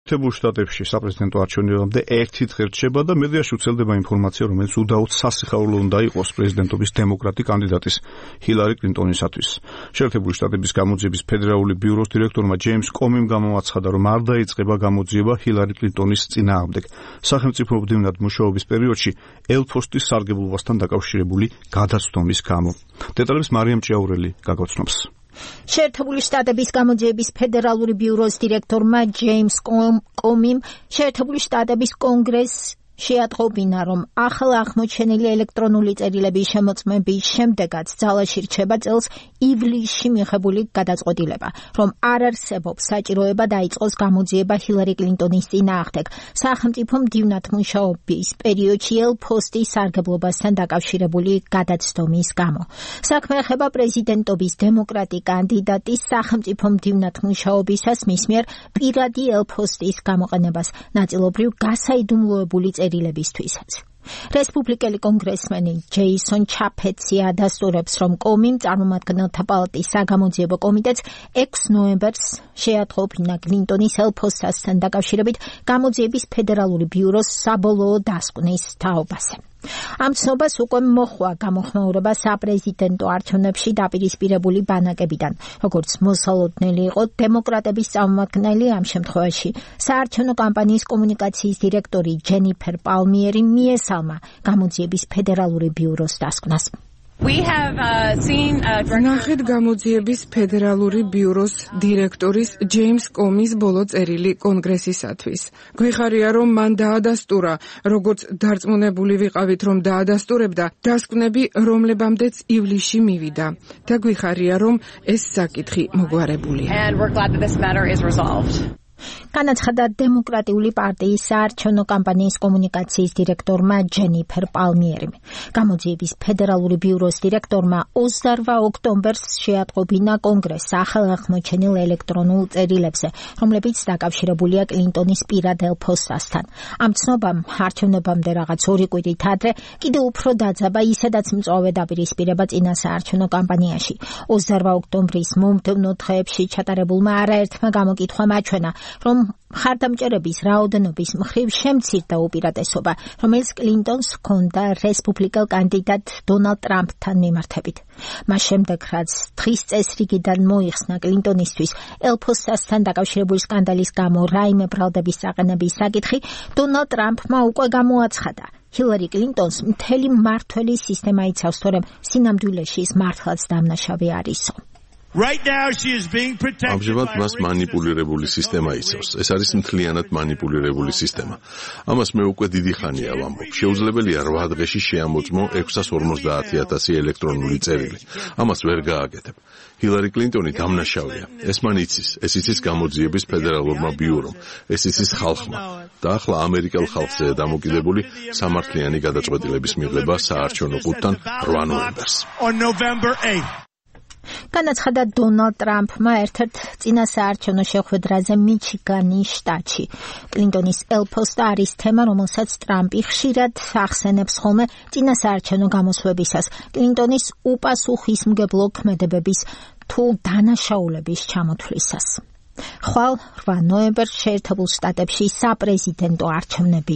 შეერთებულ შტატებში საპრეზიდენტო არჩევნებამდე ერთი დღე რჩება და მედიაში ვრცელდება ინფორმაცია, რომელიც უდაოდ სასიხარულო უნდა იყოს პრეზიდენტობის დემოკრატი კანდიდატის ჰილარი კლინტონისათვის. შეერთებული შტატების გამოძიების ფედერალური ბიუროს დირექტორმა ჯეიმს კომიმ გამოაცხადა, რომ არ დაიწყება გამოძიება ჰილარი კლინტონის წინააღმდეგ სახელმწიფო მდივნად მუშაობის პერიოდში ელფოსტის სარგებლობასთან დაკავშირებული გადაცდომის გამო. დეტალებს მარიამ ჭიაურელი გაგაცნობს. შეერთებული შტატების გამოძიების ფედერალური ბიუროს დირექტორმა ჯეიმს კომიმ შეერთებული შტატების კონგრესს შეატყობინა, რომ ახლა აღმოჩენილი ელექტრონული წერილების შემოწმების შემდეგაც ძალაში რჩება წელს ივლისში მიღებული გადაწყვეტილება, რომ არ არსებობს საჭიროება დაიწყოს გამოძიება ჰილარი კლინტონის წინააღმდეგ სახელმწიფო მდივნად მუშაობის პერიოდში ელფოსტის სარგებლობასთან დაკავშირებული გადაცდომის გამო. საქმე ეხება პრეზიდენტობის დემოკრატი კანდიდატის სახელმწიფო მდივნად მუშაობისას მის მიერ პირადი ელფოსტის გამოყენებას ნაწილობრივ გასაიდუმლოებული წერილებისთვისაც. რესპუბლიკელი კონგრესმენი ჯეისონ ჩაფეცი ადასტურებს, რომ კომიმ წარმომადგენელთა პალატის საგამოძიებო კომიტეტს 6 ნოემბერს შეატყობინა კლინტონის ელფოსტასთან დაკავშირებით გამოძიების ფედერალური ბიუროს საბოლოო დასკვნის თაობაზე. ამ ცნობას უკვე მოხვა გამოხმაურება საპრეზიდენტო არჩევნებში დაპირისპირებული ბანაკებიდან, როგორც მოსალოდნელი იყო დემოკრატების წარმომადგენელი ამ შემთხვევაში საარჩევნო კამპანიის კომუნიკაციის დირექტორი ჯენიფერ პალმიერი მიესალმა გამოძიების ფედერალური ბიუროს დასკვნას. ნახეთ გამოძიების ფედერალური ბიუროს დირექტორის ჯეიმს კომის ბოლო წერილი კონგრესისათვის. გვიხარია, რომ მან დაადასტურა, როგორც დარწმუნებული ვიყავით, რომ დაადასტურებდა დასკვნები, რომლებამდეც ივლისში მივიდა. და გვიხარია, რომ ეს საკითხი მოგვარებულია. განაცხადა დემოკრატიული პარტიის საარჩევნო კამპანიის კომუნიკაციის დირექტორმა ჯენიფერ პალმიერიმ. გამოძიების ფედერალური ბიუროს დირექტორმა 28 ოქტომბერს შეატყობინა კონგრესს ახალ აღმოჩენილ ელექტრონულ წერილებზე, რომლებიც დაკავშირებულია კლინტონის პირად ელფოსტასთან. ამ ცნობამ არჩევნებამდე რაღაც 2 კვირით ადრე კიდევ უფრო დაძაბა ისედაც მწვავე დაპირისპირება წინა საარჩევნო კამპანიაში. 28 ოქტომბრის მომდევნო დღეებში ჩატარებულმა არაერთმა გამოკითხვამ აჩვენა, რომ მხარდამჭერების რაოდენობის მხრივ შემცირდა უპირატესობა, რომელიც კლინტონს ჰქონდა რესპუბლიკელ კანდიდატ დონალდ ტრამპთან მიმართებით. მას შემდეგ, რაც დღის წესრიგიდან მოიხსნა კლინტონისთვის ელფოსტასთან დაკავშირებული სკანდალის გამო რაიმე ბრალდების საყენების საკითხი, დონალდ ტრამპმა უკვე გამოაცხადა, ჰილარი კლინტონს მთელი მმართველი სისტემა იცავს, თორემ სინამდვილეში ის მართლაც დამნაშავე არისო. ამჟამად მას მანიპულირებული სისტემა იცავს. ეს არის მთლიანად მანიპულირებული სისტემა. ამას მე უკვე დიდი ხანია ვამბობ. შეუძლებელია 8 დღეში შეამოწმო 650,000 ელექტრონული წერილი. ამას ვერ გააკეთებ. ჰილარი კლინტონი დამნაშავეა. ეს მან იცის. ეს იცის გამოძიების ფედერალურმა ბიურომ. ეს იცის ხალხმა. და ახლა ამერიკელ ხალხზეა დამოკიდებული სამართლიანი გადაწყვეტილების მიღება საარჩევნო ყუთთან 8 ნოემბერს. განაცხადა დონალდ ტრამპმა ერთ-ერთ წინა საარჩევნო შეხვედრაზე მიჩიგანის შტატში. კლინტონის ელფოსტა არის თემა, რომელსაც ტრამპი ხშირად ახსენებს ხოლმე წინა საარჩევნო გამოსვლებისას კლინტონის უპასუხისმგებლო ქმედებების თუ დანაშაულების ჩამოთვლისას. ხვალ 8 ნოემბერს შეერთებულ შტატებში საპრეზიდენტო არჩევნები